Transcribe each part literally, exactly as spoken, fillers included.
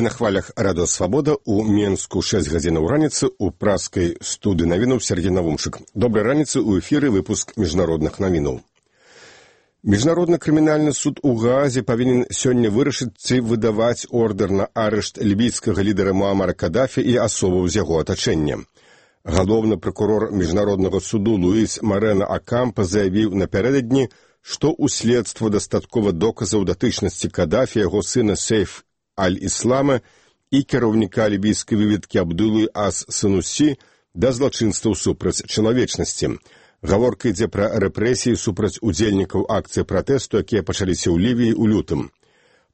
на хвалях Радыё Свабода у Менску шэсць гадзінаў раніцы у праскай студыі навінаў Сергей Навумчык. Добрай раніцы, у эфіры выпуск міжнародных навінаў. Міжнародны крымінальны суд у Гаазе павінен сёння вырашыць, ці выдаваць ордэр на арышт лібійскага лідара Муамара Кадафі і асобаў з яго атачэння. Галоўны пракурор міжнароднага суду Луіс Марена Акампа заявіў напярэдадні, што ў следства дастаткова доказаў датычнасці Кадафі, яго сына Сейф Аль-Іслама і кіраўніка лібійскай выведкі Абдулы Ас-Санусі да злачынстваў супраць чалавечнасці. Гаворка ідзе пра рэпрэсіі супраць удзельнікаў акцыі пратэсту, якія пачаліся ў Лівіі ў лютым.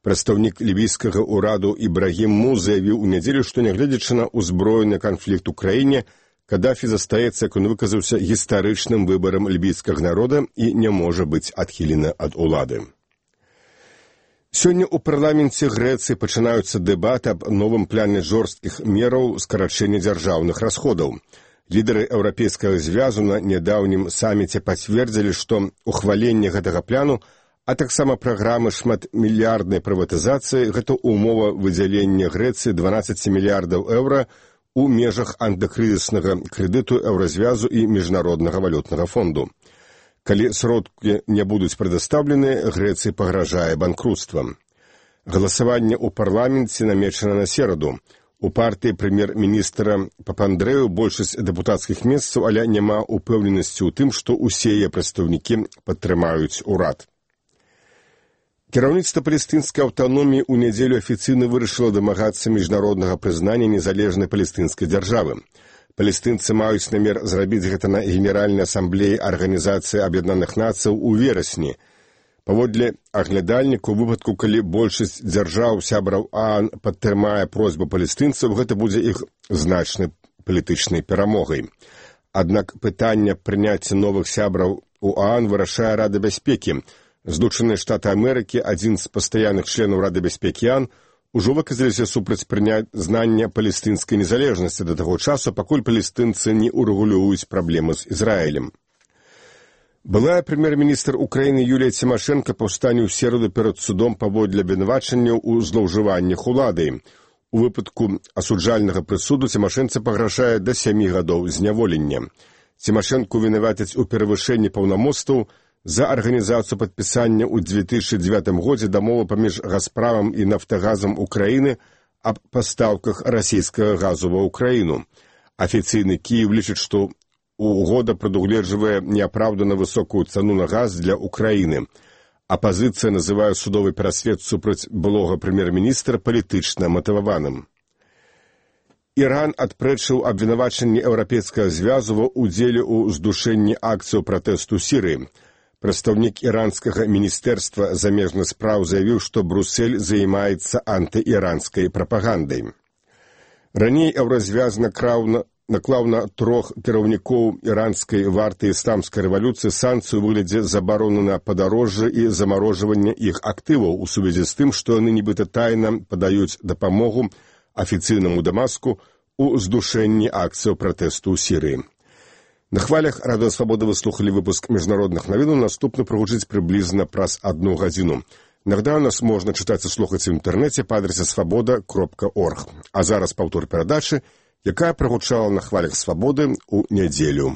Прадстаўнік лівійскага ўраду Ібрагім Му заявіў у нядзелю, што нягледзячы на ўзброены канфлікт у краіне, Кадафі застаецца, як ён выказаўся, гістарычным выбарам лібійскага народа і не можа быць адхілены ад улады. Сёння ў парламенце Грэцыі пачынаюцца дэбаты аб новым плане жорсткіх мераў скарачэння дзяржаўных расходаў. Лідары Еўрапейскага звязу на нядаўнім саміце пацвердзілі, што ухваленне гэтага пляну, а таксама праграмы шматмільярднай прыватызацыі – гэта ўмова выдзялення Грэцыі дванаццаць мільярдаў еўра у межах антыкрызіснага крэдыту Еўразвязу і Міжнароднага валютнага фонду. Калі сродкі не будуць прадастаўлены, Грэцыі пагражае банкрутствам. Галасаванне ў парламенце намечана на сераду. У партыі прэм'ер-міністра Папандрэю большасць дэпутацкіх месцаў, але няма упэўненасці ў тым, што ўсе яе прадстаўнікі падтрымаюць урад. Кіраўніцтва палестынскай аўтаноміі ў нядзелю афіцыйна вырашыла дамагацца міжнароднага прызнання незалежнай палестынскай дзяржавы. Палестынцы маюць намер зрабіць гэта на Генеральнай асамблеі Арганізацыі Аб'яднаных Нацыяў у верасні. Паводле аглядальніку, у выпадку, калі большасць дзяржаў сябраў ААН падтрымае просьбу палестынцаў, гэта будзе іх значнай палітычнай перамогай. Аднак пытанне прыняцця новых сябраў у ААН вырашае Рада бяспекі. Злучаныя Штаты Амерыкі, адзін з пастаянных членаў Рады бяспекі ААН, ужо выказаліся супраць прызнання палестынскай незалежнасці да таго часу, пакуль палестынцы не урэгулююць праблемы з Ізраілем. Былая прэм'ер-міністр Украіны Юлія Цімашэнка паўстане ў сераду перад судом паводле абвінавачанняў у злоўжываннях уладай. У выпадку асуджальнага прысуду Цімашэнцы пагражае да сямі гадоў зняволення. Цімашэнку вінавацяць у перавышэнні паўнамоцтваў за арганізацыю падпісання ў дзве тысячы дзевятым годзе дамовы паміж Газпрамам і Нафтагазам Украіны аб пастаўках расійскага газу ва Украіну. Афіцыйны Кіеў лічыць, што угода прадугледжвае неапраўдана высокую цану на газ для Украіны. Апазіцыя называе судовы пераслед супраць былога прэм'ер-міністра палітычна матываваным. Іран адпрэчыў абвінавачанне Еўрапейскага звязу ва ўдзеле ў здушэнні акцыяў пратэсту Сірыі. Прадстаўнік іранскага міністэрства замежных спраў заявіў, што Брюссель займаецца антыіранскай прапагандай. Раней Еўразвяз наклаў на трох кіраўнікоў іранскай варты ісламскай рэвалюцыі санкцыю ў выглядзе забароны на падарожжа і замарожвання іх актываў у сувязі з тым, што яны нібыта тайна падаюць дапамогу афіцыйнаму Дамаску ў здушэнні акцыяў пратэсту ў Сірыі. На хвалях Радыё Свабода вы слухалі выпуск міжнародных навінаў, наступны прагучыць прыблізна праз адну гадзіну. Нагадаю, нас можна чытаць і слухаць у інтэрнэце па адрасе свабода кропка орг. А зараз паўтор перадачы, якая прагучала на хвалях Свабоды ў нядзелю.